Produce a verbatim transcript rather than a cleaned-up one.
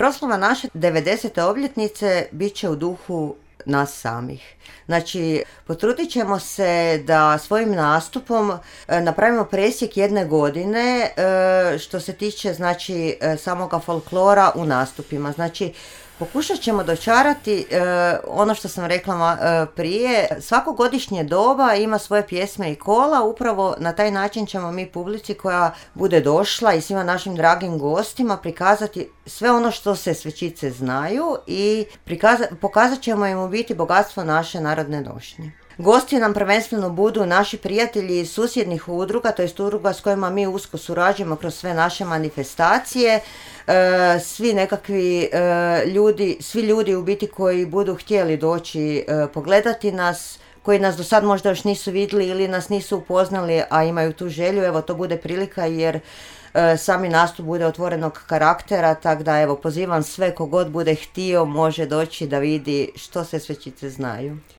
Proslava naše devedesete obljetnice bit će u duhu nas samih. Znači, potrudit ćemo se da svojim nastupom napravimo presjek jedne godine što se tiče, znači, samoga folklora u nastupima. Znači, pokušat ćemo dočarati e, ono što sam rekla e, prije, svako godišnje doba ima svoje pjesme i kola, upravo na taj način ćemo mi publici koja bude došla i svima našim dragim gostima prikazati sve ono što se Svečice znaju i prikaza, pokazat ćemo im u biti bogatstvo naše narodne nošnje. Gosti nam prvenstveno budu naši prijatelji iz susjednih udruga, to jest udruga s kojima mi usko surađujemo kroz sve naše manifestacije, e, svi nekakvi e, ljudi, svi ljudi u biti koji budu htjeli doći e, pogledati nas, koji nas do sad možda još nisu vidjeli ili nas nisu upoznali, a imaju tu želju, evo to bude prilika jer e, sami nastup bude otvorenog karaktera, tako da evo pozivam sve kogod bude htio može doći da vidi što se Svečice znaju.